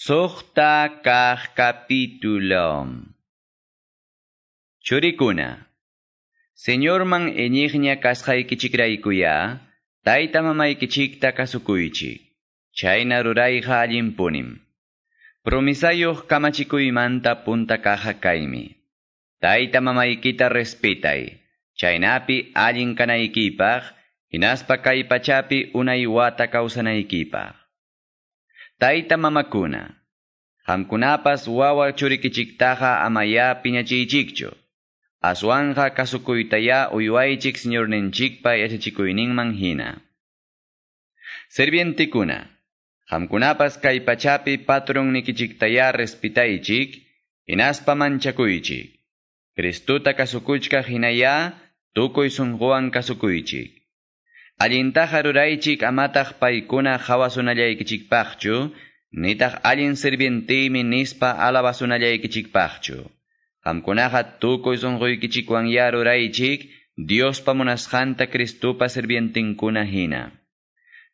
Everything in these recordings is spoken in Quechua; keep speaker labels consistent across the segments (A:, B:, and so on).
A: Suqta kaq capítulo. Churikuna. Señorman iñiqña kasqaykichikraykuya, tayta mamaykichikta kasukuychik. Chayna rurayqa allinpunim. Promisayuq kamachikuymanta punta kaja kaymi. Tayta mamaykita respetay. Chaynapi allin kanaykipaq, hinaspa kay pachapi unay wata kawsanaykipaq. Tayta mamakuna. Qamkunapas wawa churikichiktaqa amaya piñachiychikchu. Aswanja kasukuytaya uywaychik Señorninchikpa yachachikuyninman hina. Servientikuna. Qamkunapas kay pachapi patronnikichiktaya respetaychik, hinaspa manchakuychik. Cristuta kasukuchkaq hinaya, tukuy sunquwan kasukuychik. Allintaqa ruraychik amataq paykuna qawasunallaykichikpaqchu, nitaq allin sirvientiymi nispa alabasunallaykichikpaqchu. Qamkunaqa tukuy sunquykichikwanya ruraychik, Diospa munasqanta Cristupa sirvientinkuna hina.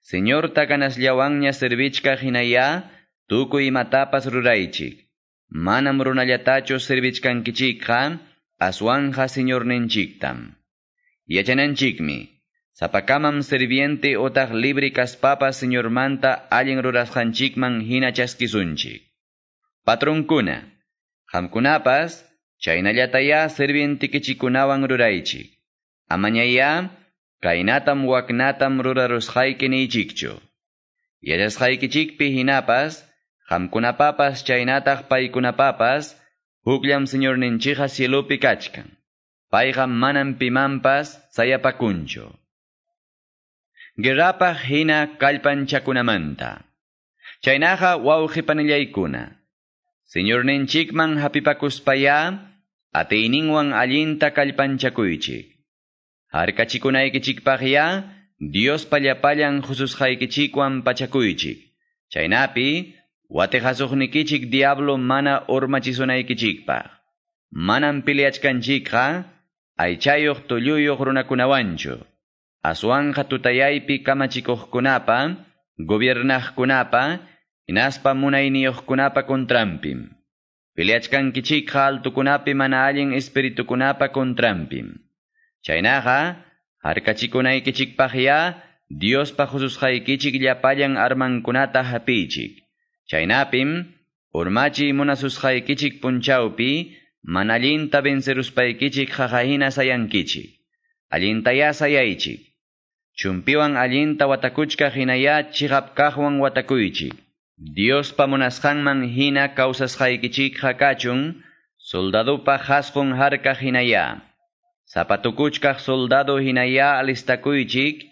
A: Señorta ganasllawanña servichkaq hinaya, tukuy imatapas ruraychik. Manam runallatachu servichkankichikqa, aswanja Señorninchiktam. Yachananchikmi, sapakamam sirviente otaq libre kaspapas Señormanta allin rurasqanchikman hina chaskisunchik. Patronkuna, qamkunapas, chaynallataya sirvientikichikunawan ruraychik. Amañaya, kaynatam waknatam rurarusqayki niychikchu. Yachasqaykichikpi hinapas, qamkunapapas chaynataq paykunapapas, hukllam Señorninchikqa cielopi kachkan. Payqa manam pimanpas sayapakunchu. Guerrapaq hina kallpanchakunamanta. Chaynaqa wawqipanillaykuna. Señorninchikman hapipakuspaya, atiyninwan allinta kallpanchakuychik. Harkachikunaykichikpaqya, Diospa llapallan hususqaykichikwan pachakuychik. Chaynapi, watiqasuqnikichik diablo mana urmachisunaykichikpaq. Manam peleachkanchikqa, aychayuq tulluyuq runakunawanchu. Aswanja tutayaypi kamachikuqkunapa, gobiernaqkunapa, hinaspa munayniyuqkunapa contranpim. Peleachkankichikqa altukunapi mana allin espiritukunapa contranpim. Chaynaqa, harkachikunaykichikpaqya, Diospa hususqaykichik llapallan armankunata hapiychik. Chaynapim, urmachiy munasusqaykichik punchawpi, mana allinta venceruspaykichik qaqahina sayankichik. Allintaya sayaychik. Chumpiwan allinta watakuchkaq hinaya chiqap kaqwan watakuychik. Diospa munasqanman hina kawsasqaykichikqa kachun, soldadupa qhasqun harkaq hinaya. Zapatukuchkaq soldado hinaya alistakuychik,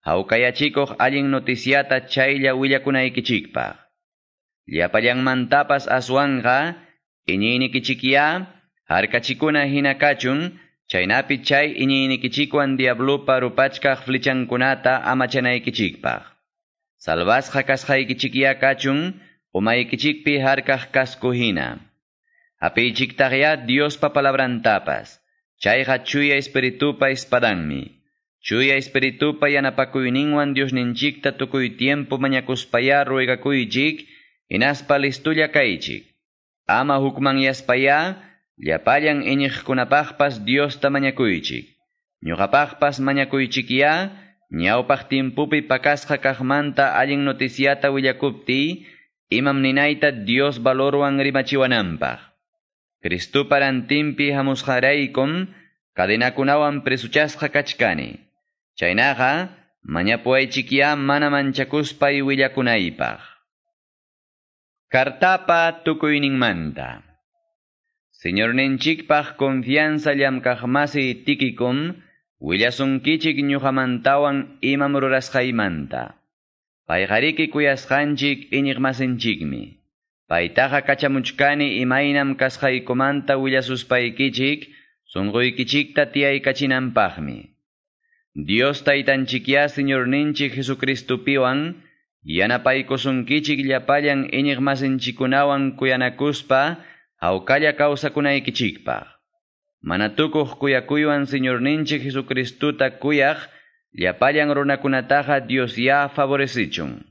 A: hawkayachikuq allin noticiata chaylla willakunaykichikpaq. Llapallanmantapas aswanqa, iñiynikichikya, harkachikuna hina kachun, chaynapi chay iñiynikichikwan diablopa rupachkaq flechankunata amachanaykichikpaq. Salvasqa kasqaykichikya kachun, umaykichikpi harkaq casco hina. Hapiychiktaqya Diospa palabrantapas. Chayqa chuya espiritupa espadanmi. Chuya espiritupa yanapakuyninwan Diosninchikta tukuy tiempo mañakuspaya ruegakuychik, hinaspa listulla kaychik. Ama hukmanyaspaya, llapallan iñiqkunapaqpas Diosta mañakuychik. Ñuqapaqpas mañakuychikya, ñawpaq tiempopi pakasqa kaqmanta allin noticiata willakuptiy, imam ninayta Dios valorwan rimachiwananpaq. Cristupa rantinpi hamusqaraykum, cadenakunawan presuchasqa kachkani. Chaynaqa, mañapuwaychikya mana manchakuspay willakunaypaq. Kartapa tukuyninmanta. Señorninchikpaq confianza llamkaqmasi Tiquikom, willasunkichik ñuqamantawan imam rurasqaymanta. Payqariki kuyasqanchik iñiqmasinchikmi. Paytaqa kachamuchkani imaynam kasqaykumanta willasuspaykichik, sunquykichikta tiyaykachinanpaqmi. Dios taytanchikya Señorninchik Jesucristupiwan, yanapaykusunkichik llapallan iñiqmasinchikkunawan kuyanakuspa, hawkalla kawsakunaykichikpaq. Mana tukuq kuyakuywan Señorninchik Jesucristuta kuyaq, llapallan runakunataqa Dios ya favorecichun.